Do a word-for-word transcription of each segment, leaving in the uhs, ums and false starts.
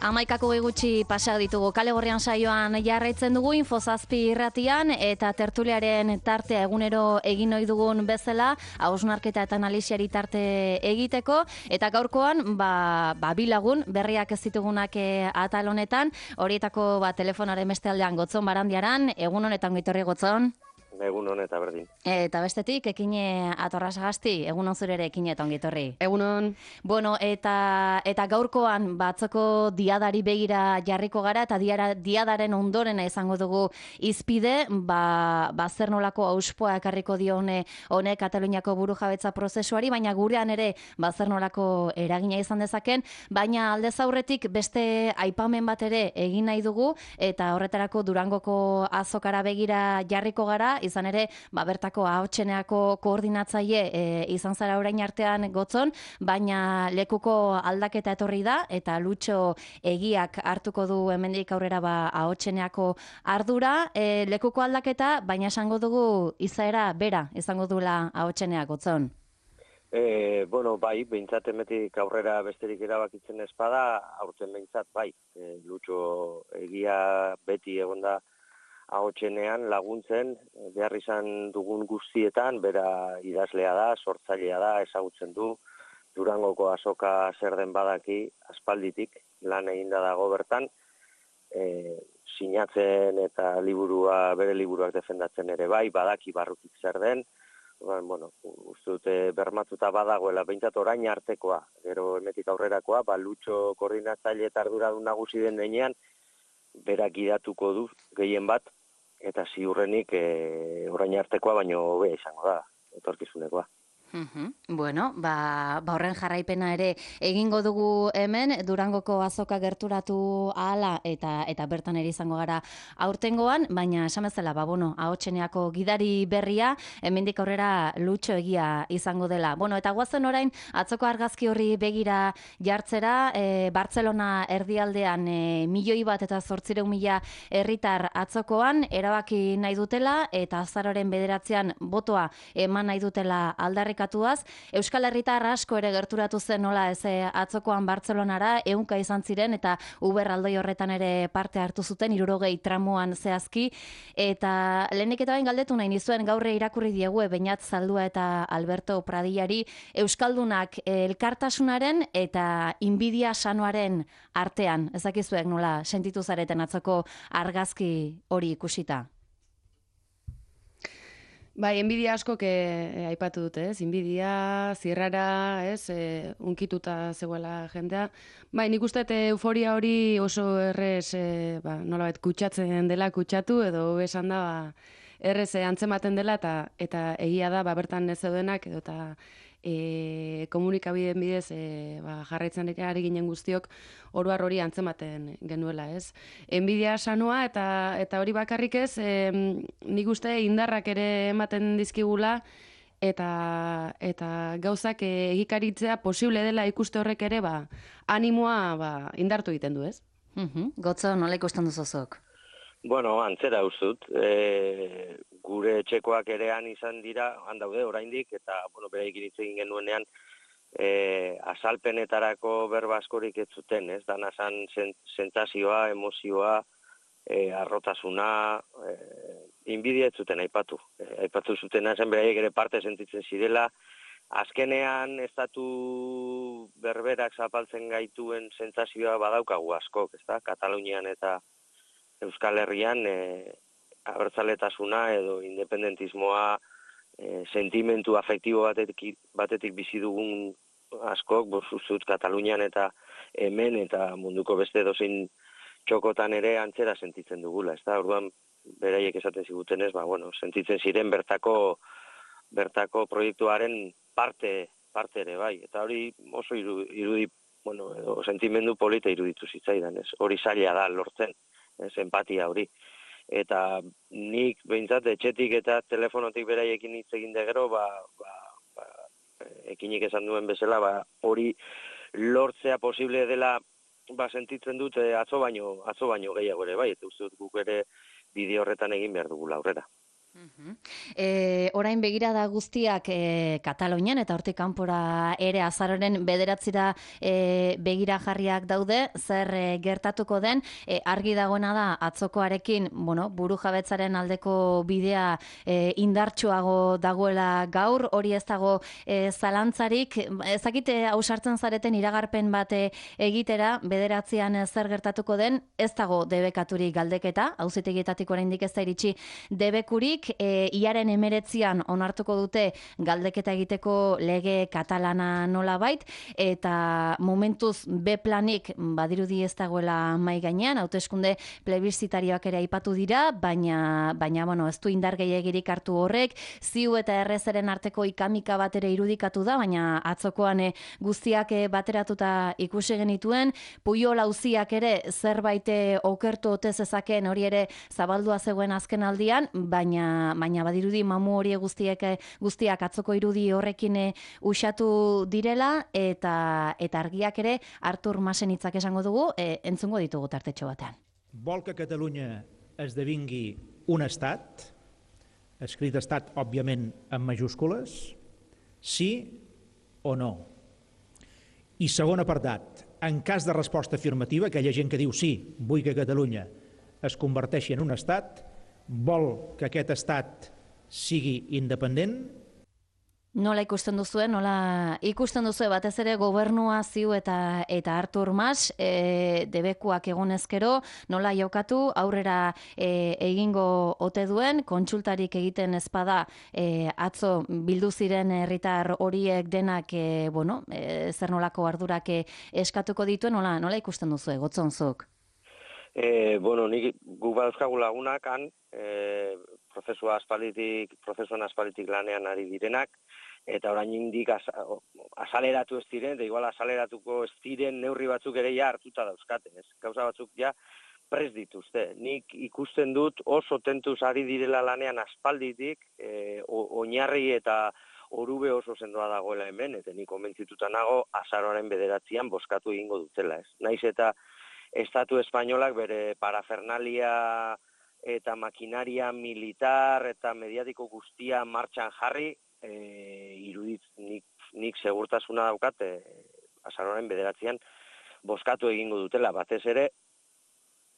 Hamaikako gutxi pasa ditugu kale gorrian saioan jarraitzen dugu Infozazpi irratian eta tertuliaren tartea egunero egin ohi dugun bezala hausnarketa eta analisiari tarte egiteko eta gaurkoan ba, ba bilagun berriak ez ditugunak e, atal honetan horietako ba, telefonaren beste aldean Gotzon Barandiaran, egun honetan Goitorri Gotzon. Egun hon eta berdin. Eta bestetik, ekine atorrazagasti, egun hon zure ere ekine eta ongitorri. Egun hon. Bueno, eta, eta gaurkoan batzoko diadari begira jarriko gara, eta diara, diadaren ondorena izango dugu izpide, ba, ba zer nolako auspoa ekarriko dione honek Kataluniako burujabetza prozesuari, baina gurean ere ba zer nolako eragina izan dezaken, baina aldez aurretik beste aipamen bat ere egin nahi dugu, eta horretarako Durangoko azokara begira jarriko gara, izan ere, ba, bertako ahotseneako koordinatzaile e, izan zara orain artean Gotzon, baina lekuko aldaketa etorri da, eta Lutxo egiak hartuko du hemendik aurrera ba, ahotseneako ardura, e, lekuko aldaketa, baina esango dugu izaera bera, izango dula ahotseneak Gotzon. E, bueno, bai, behintzat emetik aurrera besterik erabakitzen espada, aurten behintzat bai, e, Lutxo egia beti egonda ahotsenean laguntzen, behar izan dugun guztietan, bera idazlea da, sortzailea da, ezagutzen du, Durangoko azoka zer den badaki, aspalditik, lan eginda dago bertan, e, sinatzen eta liburua, bere liburuak defendatzen ere bai, badaki barrutik zer den, bueno, uste dute bermatuta badagoela, behintzat orain artekoa, gero emetik aurrerakoa, ba, Lutxo koordinatzaile eta arduradun nagusi den denean, berak idatuko du gehien bat, eta ziurrenik e, orain artekoa baino hobe izango da, etorkizunekoa. Uhum. Bueno, ba, ba horren jarraipena ere egingo dugu hemen, Durangoko azoka gerturatu ahala eta eta bertan ere izango gara aurtengoan, baina esan bezala, ba, bueno, ahotseneako gidari berria, hemendik aurrera Lutxo egia izango dela. Bueno, eta guazen orain, atzoko argazki horri begira jartzera, e, Bartzelona erdialdean e, milioi bat eta zortzireun mila herritar atzokoan, erabaki nahi dutela, eta azaroren bederatzean botoa eman nahi dutela aldarrik Euskal Herritar asko ere gerturatu zen nola ez atzokoan Bartzelonara, ehunka izan ziren eta Uber aldoi horretan ere parte hartu zuten, hirurogei tramuan zehazki, eta lehenik eta bain galdetu nahi nizuen gaurre irakurri diegu Beñat Zaldua eta Alberto Pradillari Euskaldunak elkartasunaren eta inbidia sanoaren artean, ezakizuek nola sentitu zareten atzoko argazki hori ikusita? Bai, enbidia askok e, aipatu dute, ez? Inbidia, zirrara, ez? E, unkituta zegoela jendea. Bai, nik uste euforia hori oso errez, e, ba, nolabait kutsatzen dela kutsatu, edo esan da, ba, errez antzematen dela, eta eta egia da, ba, bertan ez zeudenak, edo eta e, komunikabideen bidez e, ba, jarraitzen ari ginen guztiok oroar hori antzematen genuela, ez? Enbidia sanoa eta eta hori bakarrik ez, e, nik uste indarrak ere ematen dizkigula eta eta gauzak egikaritzea posible dela ikuste horrek ere, ba, animoa ba, indartu egiten du, ez? Uhum. Gotzo, nola ikusten duzuzok? Bueno, antzera uzut, e, gure etxekoak erean izan dira, handaude oraindik, eta bueno, beraikin hitz egin genuenean, e, azalpenetarako berba askorik ez zuten, ez? Dana zan sentsazioa, emozioa, e, arrotasuna, e, inbidia ez zuten aipatu. E, aipatu zuten zen beraiek ere parte sentitzen zirela, azkenean estatu berberak zapaltzen gaituen sentsazioa badaukagu askok, ezta? Katalunian eta Euskal Herrian e, abertzaletasuna edo independentismoa e, sentimentu afektibo batetik, batetik bizi dugun askok, bozuzut Katalunian eta hemen eta munduko beste dozein txokotan ere antzera sentitzen dugula. Ez da, orduan beraiek esaten zigutenez, ba, bueno, sentitzen ziren bertako bertako proiektuaren parte, parte ere bai. Eta hori oso irudi, bueno, edo sentimendu polita iruditu zitzaidan, ez? Hori zaila da lortzen. Ez, empatia hori. Eta nik behintzat etxetik eta telefonotik beraiekin hitz egin de gero, ba, ba, ba, ekinik esan duen bezala, ba, hori lortzea posible dela ba, sentitzen dut atzo baino, atzo baino gehiago ere, bai, eta uste dut guk ere bide horretan egin behar dugula aurrera. E, orain begirada guztiak e, Katalunian eta hortik kanpora ere azaroren bederatzira e, begira jarriak daude, zer e, gertatuko den, e, argi dagoena da atzokoarekin, bueno, burujabetzaren aldeko bidea e, indartsuago dagoela gaur, hori ez dago e, zalantzarik, ezakite ausartzen zareten iragarpen bat egitera, bederatzean zer gertatuko den, ez dago debekaturik galdeketa, auzitegietatik oraindik ez da iritsi debekurik, e, iaren emeretzian onartuko dute galdeketa egiteko lege katalana nolabait, eta momentuz B planik badirudi ez dagoela mai gainean, hauteskunde plebiszitarioak ere aipatu dira, baina, baina bueno, ez du indar gehiegirik hartu horrek, ziu eta errezeren arteko ikamika bat ere irudikatu da, baina atzokoan e, guztiak e, bateratuta ikusi genituen, Pujol auziak ere zerbait okertu ote zezaken hori ere zabaldua zegoen azken aldian, baina, baina badirudi mamu hori guztiek guztiak atzoko irudi horrekin usatu direla, eta eta argiak ere Artur Masen hitzak esango dugu, e, entzungo ditugu tartetxo batean. Vol que Catalunya esdevingui un estat, escrit estat, òbviament, en majúscules, sí o no? I segon apartat, en cas de resposta afirmativa, aquella gent que diu sí, vull que Catalunya es converteixi en un estat, vol que aquest estat sigui independent? Nola ikusten duzue, nola ikusten duzue batez ere gobernua ziu eta eta Artur Mas, e, debekuak egonezkero, nola jokatu, aurrera e, egingo ote duen, kontsultarik egiten ezpada e, atzo bildu ziren herritar horiek denak, e, bueno, e, zer nolako ardurak e, eskatuko dituen, nola, nola ikusten duzue, Gotzonzuk? E, bueno, nik gu badauzkagu lagunak han, e, prozesua aspalditik, prozesuan aspalditik lanean ari direnak, eta orain indik asaleratu ez diren, eta igual asaleratuko ez diren neurri batzuk ere ja hartuta dauzkaten, ez? Gauza batzuk ja prest dituzte. Nik ikusten dut oso tentuz ari direla lanean aspalditik, e, oinarri eta orube oso sendoa dagoela hemen, eta nik konbentzituta nago azaroaren bederatzian bozkatu egingo dutela, ez? Naiz eta Estatu espainolak bere parafernalia eta makinaria militar eta mediatiko guztia martxan jarri, e, iruditz nik, nik segurtasuna daukat, e, azaroaren bederatzean bozkatu egingo dutela, batez ere,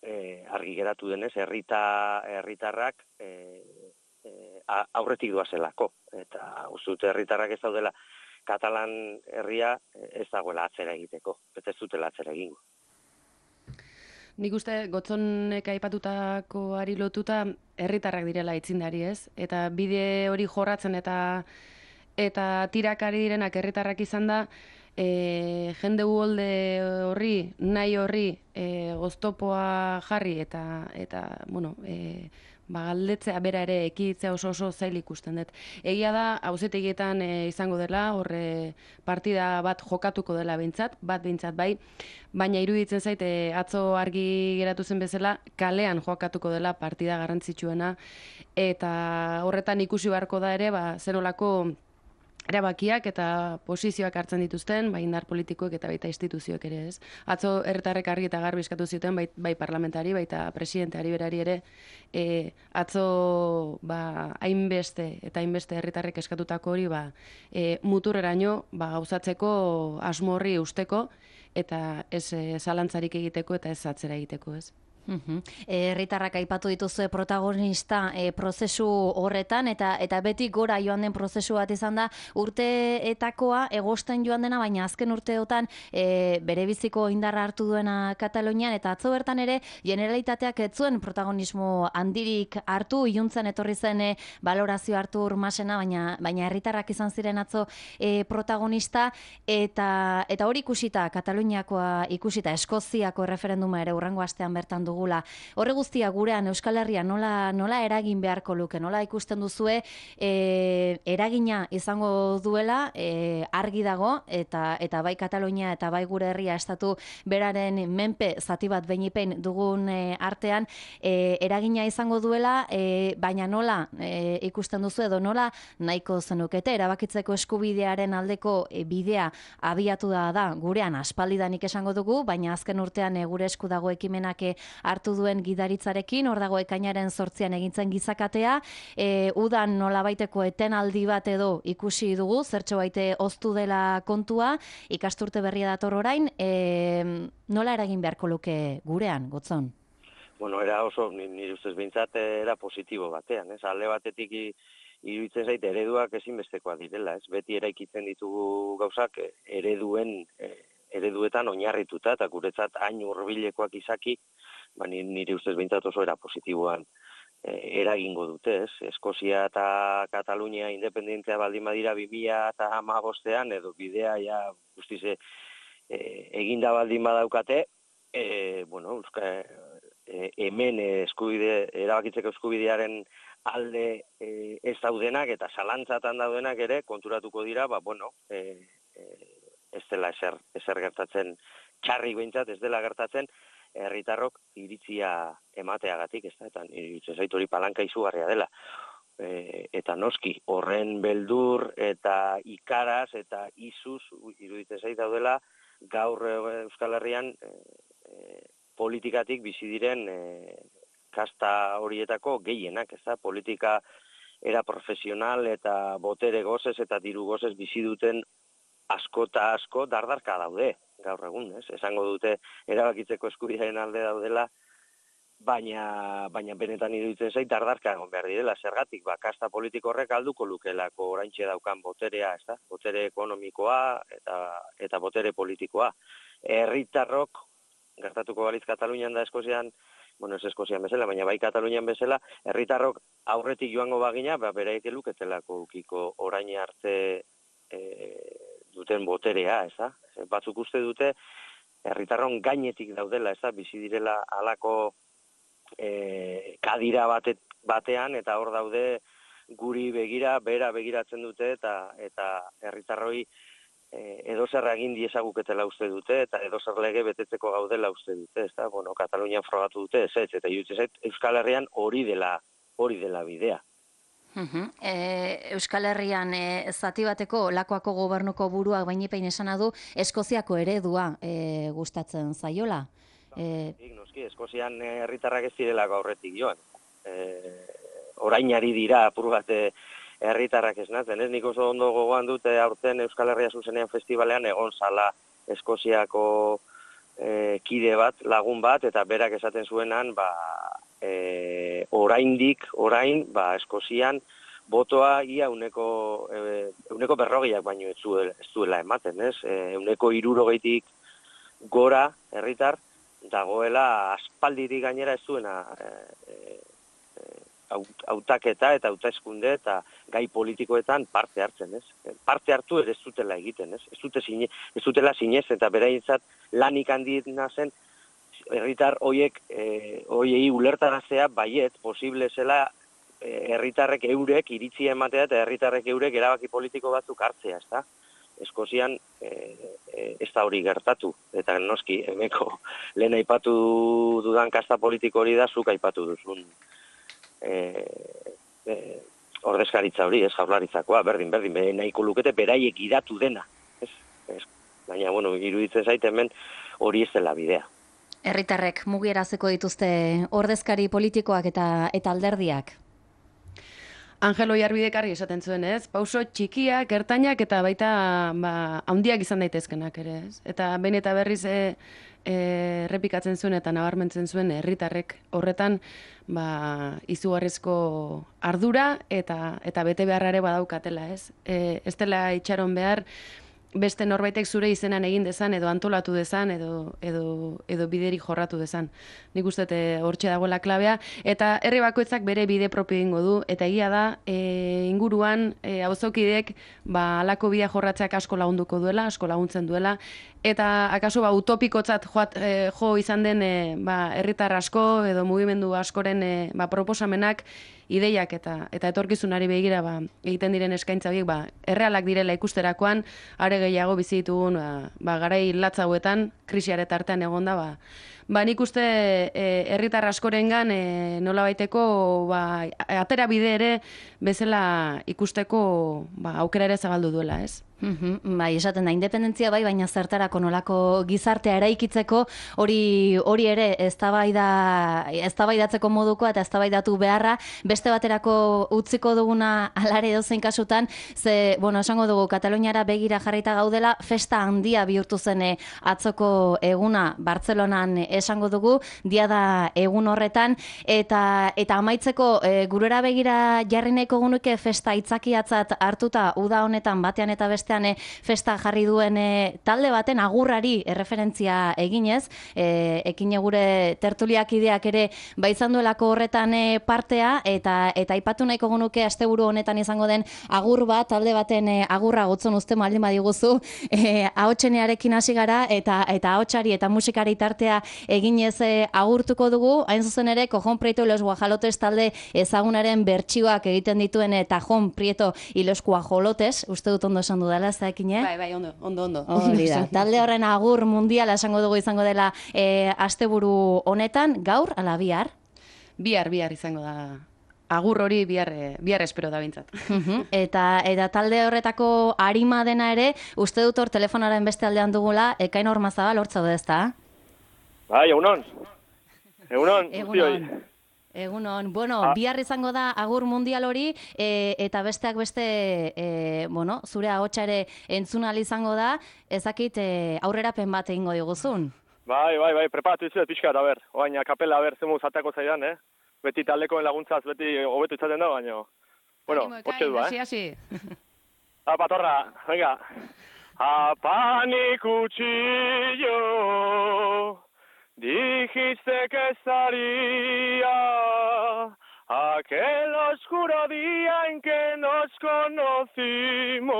e, argi geratu denez, herrita, herritarrak e, e, aurretik doazelako, eta uzut herritarrak ez daudela Katalan herria ez dagoela atzera egiteko, eta ez dutela atzera egingo. Nik uste Gotzonek aipatutakoari lotuta herritarrak direla aitzindari, ez? Eta bide hori jorratzen eta eta tirakari direnak herritarrak izan da, e, jende uholde horri, nahi horri, e, oztopoa jarri eta, eta bueno, e, ba, galdetzea bera ere ekiditzea oso oso zail ikusten dut. Egia da, auzitegietan e, izango dela, horre partida bat jokatuko dela behintzat, bat behintzat bai, baina iruditzen zait, e, atzo argi geratu zen bezala, kalean jokatuko dela partida garrantzitsuena, eta horretan ikusi beharko da ere, ba, zenolako erabakiak eta posizioak hartzen dituzten, bai indar politikoek eta baita instituzioek ere, ez? Atzo herritarrek argi eta garbi eskatu zuten, bai, bai parlamentari, baita presidenteari berari ere, e, atzo ba, hainbeste eta hainbeste herritarrek eskatutako hori ba, e, muturreraino ba, gauzatzeko asmo horri usteko, eta ez e, zalantzarik egiteko eta ez atzera egiteko, ez? Herritarrak aipatu dituzue protagonista e, prozesu horretan, eta eta beti gora joan den prozesu bat izan da, urteetakoa egosten joan dena, baina azken urteotan e, bere biziko indarra hartu duena Katalunian, eta atzo bertan ere Generalitateak ez zuen protagonismo handirik hartu, iluntzen etorri zen e, balorazio Artur Masena, baina baina herritarrak izan ziren atzo e, protagonista, eta eta hori ikusita, Kataluniakoa ikusita, Eskoziako erreferenduma ere hurrengo astean bertan dugu. Horre guztia gurean Euskal Herria nola, nola eragin beharko luke, nola ikusten duzue e, eragina izango duela, e, argi dago, eta eta bai Katalunia eta bai gure herria estatu beraren menpe zati bat beinipein dugun e, artean, e, eragina izango duela, e, baina nola e, ikusten duzu edo nola nahiko zenukete erabakitzeko eskubidearen aldeko e, bidea abiatu da da gurean aspaldidanik esango dugu, baina azken urtean e, gure esku dago ekimenak e, hartu duen gidaritzarekin, hor dago ekainaren zortzian egintzen gizakatea, e, udan nolabaiteko etenaldi bat edo ikusi dugu, zertxo baite oztu dela kontua, ikasturte berria dator orain, e, nola eragin beharko luke gurean, Gotzon? Bueno, era oso, nire ustez behintzat, era positibo batean, ez? Alde batetik iruditzen zait ereduak ezinbestekoa direla, ez? Beti eraikitzen ditugu gauzak ereduen, ereduetan oinarrituta, eta guretzat hain hurbilekoak izaki, ba, nire ustez behintzat oso era positiboan eragingo dute, ez? Eskozia eta Katalunia independentzia baldin badira bi mila hamabostean, edo bidea ja guztiz eginda baldin badaukate, e, bueno, euska, e, hemen eskubide, erabakitzeko eskubidearen alde e, ez daudenak eta zalantzatan daudenak ere konturatuko dira, ba, bueno, e, e, ez dela ezer, ezer gertatzen, txarrik behintzat ez dela gertatzen, herritarrok iritzia emateagatik, ez da, eta iruditzen zait hori palanka izugarria dela. E, eta noski, horren beldur eta ikaraz eta izuz iruditzen zait daudela, gaur Euskal Herrian e, e, politikatik bizi diren e, kasta horietako gehienak, ez da, politika era profesional eta botere gozez eta diru gozez bizi duten asko eta asko dardarka daude, gaur egun, ez? Esango dute erabakitzeko eskubidearen alde daudela, baina, baina benetan iruditzen zait dardarka egon behar direla, zergatik, ba, kasta politiko horrek alduko lukelako oraintxe daukan boterea, ez da? Botere ekonomikoa eta, eta botere politikoa. Herritarrok, gertatuko balitz Katalunian da Eskozian, bueno, ez Eskozian bezala, baina bai Katalunian bezala, herritarrok aurretik joango bagina, ba, beraik luketelako ukiko orain arte e, duten boterea, ez da? Batzuk uste dute, herritarron gainetik daudela, ez da? Bizi direla halako e, kadira bate, batean, eta hor daude guri begira, bera begiratzen dute, eta eta herritarroi e, edozer egin diezaguketela uste dute, eta edozer lege betetzeko gaudela uste dute, ez da? Bueno, Katalunian frogatu dute, ez ez, eta iruditzen zait Euskal Herrian hori dela, hori dela bidea. Uhum. E, Euskal Herrian e, zati bateko Lakuako gobernuko buruak bainipein esana du Eskoziako eredua e, gustatzen zaiola. E... Noski, Eskozian herritarrak ez direlako aurretik joan. E, orainari dira apur bat herritarrak esnatzen. Ez nik oso ondo gogoan dute aurten Euskal Herria zuzenean festivalean egon zala Eskoziako e, kide bat, lagun bat, eta berak esaten zuenan, ba, E, oraindik, orain, ba, Eskozian, botoa ia uneko, e, uneko berrogiak baino ez duela, ez duela ematen, ez? E, uneko hirurogeitik gora, herritar, dagoela aspaldirik gainera ez duena e, e, hautaketa eta hauteskunde eta gai politikoetan parte hartzen, ez? Parte hartu ere ez dutela egiten, ez? Ez dute zine, ez dutela zinez eta beraientzat lanik handiena zen herritar hoiek eh, hoiei ulertaraztea baiet posible zela herritarrek eh, eurek iritzia ematea eta herritarrek eurek erabaki politiko batzuk hartzea, ezta? Eskozian eh, eh, ez da hori gertatu, eta noski hemeko lehen aipatu dudan kasta politiko hori da zuk aipatu duzun eh, eh, ordezkaritza hori, ez jaurlaritzakoa, berdin, berdin, nahiko lukete beraiek gidatu dena, ez? Ez, baina, bueno, iruditzen zait hemen hori ez dela bidea. Herritarrek mugierazeko dituzte ordezkari politikoak eta eta alderdiak. Angelo Jarbidekarri esaten zuen, ez? Pauso txikiak, ertainak eta baita ba, handiak izan daitezkenak ere, ez? Eta behin eta berriz e, e, errepikatzen zuen eta nabarmentzen zuen herritarrek horretan ba, izugarrizko ardura eta eta bete beharrare badaukatela, ez? E, ez dela itxaron behar beste norbaitek zure izenan egin dezan, edo antolatu dezan, edo, edo, edo bideri jorratu dezan. Nik uste hortxe dagoela klabea, eta herri bakoitzak bere bide propio egingo du, eta egia da, e, inguruan, e, auzokideek, ba, alako bidea jorratzeak asko lagunduko duela, asko laguntzen duela, eta akaso ba, utopikotzat joat, e, jo izan den e, ba, herritar asko, edo mugimendu askoren e, ba, proposamenak, ideiak eta eta etorkizunari begira ba, egiten diren eskaintza biek ba, errealak direla ikusterakoan, are gehiago bizi ditugun ba, ba, garai latz hauetan, krisiare tartean egonda, ba, ba nik uste herritar askorengan e, nola baiteko ba, atera bide ere bezala ikusteko ba, aukera ere zabaldu duela, ez? Mm-hmm. Bai, esaten da, independentzia bai, baina zertarako nolako gizartea eraikitzeko hori hori ere eztabaida eztabaidatzeko modukoa eta eztabaidatu beharra beste baterako utziko duguna alare edozein kasutan, ze, bueno, esango dugu Kataluniara begira jarrita gaudela, festa handia bihurtu zen atzoko eguna Bartzelonan esango dugu, dia da egun horretan, eta eta amaitzeko e, gurera begira jarri nahiko genuke festa aitzakiatzat hartuta uda honetan batean eta beste festa jarri duen e, talde baten agurrari erreferentzia eginez, e, ekine gure tertuliak ideak ere baizan duelako horretan e, partea, eta eta aipatu nahiko genuke asteburu honetan izango den agur bat, talde baten e, agurra gotzon uste maldin badiguzu, e, ahotsenearekin hasi gara, eta eta ahotsari eta musikari tartea eginez e, agurtuko dugu, hain zuzen ere, Cojon Prieto y los Guajalotes talde ezagunaren bertsioak egiten dituen e, Tajon Prieto y los Guajolotes, uste dut ondo esan dudala, Ekine? Bai, bai, ondo, ondo, ondo. Hori da. Talde horren agur mundiala esango dugu izango dela e, asteburu honetan, gaur ala bihar? Bihar, bihar izango da. Agur hori bihar, bihar espero da bintzat. eta, eta talde horretako arima dena ere, uste dut hor telefonaren beste aldean dugula, Ekain Ormazabal hortza da ezta? Bai, egunon. Egunon, guztioi. Egunon, bueno, ah. bihar izango da agur mundial hori, e, eta besteak beste, e, bueno, zure ahotsa ere entzunal izango da, ezakit e, aurrerapen bat egingo diguzun. Bai, bai, bai, preparatu izuet pixka, da ber, oain kapela, ber, zemuz atako zaidan, eh? Beti taldekoen laguntzaz, beti hobetu izaten da, baina, bueno, hortxe du, eh? Hasi, hasi. Apatorra, venga. Apani cuchillo, dijiste que estaría aquel oscuro día en que nos conocimos,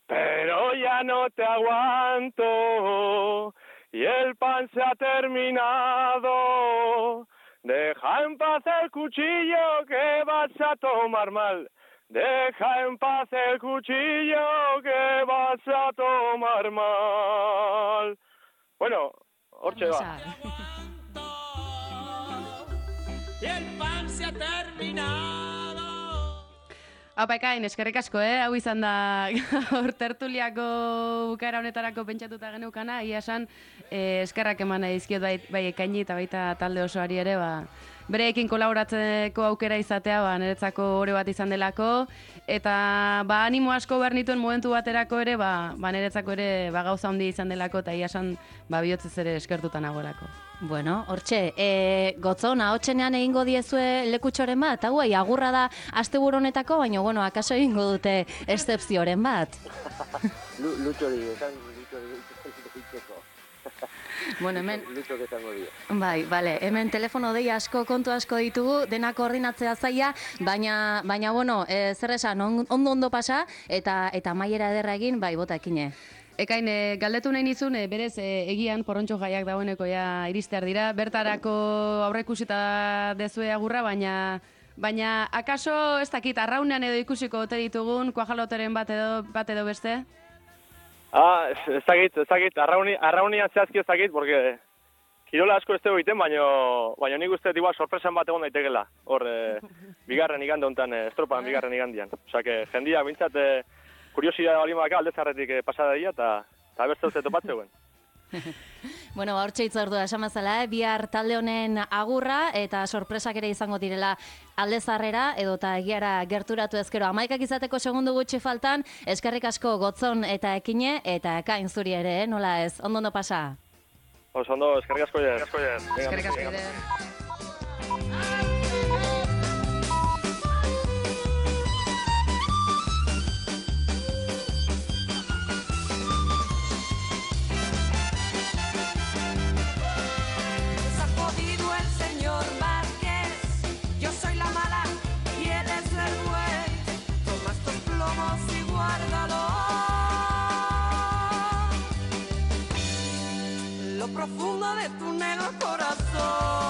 pero ya no te aguanto y el pan se ha terminado. Deja en paz el cuchillo que vas a tomar mal. Deja en paz el cuchillo que vas a tomar mal. Bueno, hortxe ba. Y el pan se ha terminado. Apa, Ekain, eskerrik asko, eh? Hau izan da hor tertuliako bukaera honetarako pentsatuta geneukana, ia esan eh, eskerrak eman dizkiot bai, bai Ekaini eta baita talde osoari ere, ba, bereekin kolaboratzeko aukera izatea, ba, niretzako ore bat izan delako, eta ba, animo asko behar nituen momentu baterako ere, ba, ba niretzako ere ba, gauza handi izan delako, eta ia esan ba, bihotzez ere eskertutan agorako. Bueno, hortxe, e, gotzon, ahotsenean egingo diezue lekutxoren bat, hau agurra da asteburu honetako, baina, bueno, akaso egingo dute eszepzioren bat. Lutxori, esan lutxori, lutxeko. Bueno, hemen... Lutxok esango dira. Bai, bale, hemen telefono dei asko, kontu asko ditugu, denak koordinatzea zaila, baina, baina bueno, e, zer esan, ondo-ondo pasa, eta eta maiera ederra egin, bai, bota ekine. Ekain, e, galdetu nahi nizun, e, berez, e, egian, porrontxo jaiak dagoeneko ja iristear dira, bertarako aurreikusita dezue agurra, baina... Baina, akaso, ez dakit, arraunean edo ikusiko ote ditugun, kuajaloteren bat edo, bat edo beste? Ah, ez dakit, ez dakit, arrauni, arraunian zehazki ez dakit, porque kirola asko ez dugu egiten, baina baina nik uste igual sorpresan bat egon daitekela. Hor, e, bigarren igande honetan, e, estropan bigarren igandian. Osa, que jendia, bintzat, e, kuriosidade balin baka aldezarretik e, pasada dira, eta beste uste topatzeuen. Bueno, hor txeitzu ordua esamazala, eh? Bihar talde honen agurra eta sorpresak ere izango direla aldezarrera edo eta egiara gerturatu ezkero amaikak izateko segundu gutxi faltan, eskerrik asko gotzon eta ekine eta Ekain zuri ere, eh? Nola ez, ondo ondo pasa? Oso ondo, eskerrik asko jen. Eskerrik asko jen. Profundo de tu negro corazón.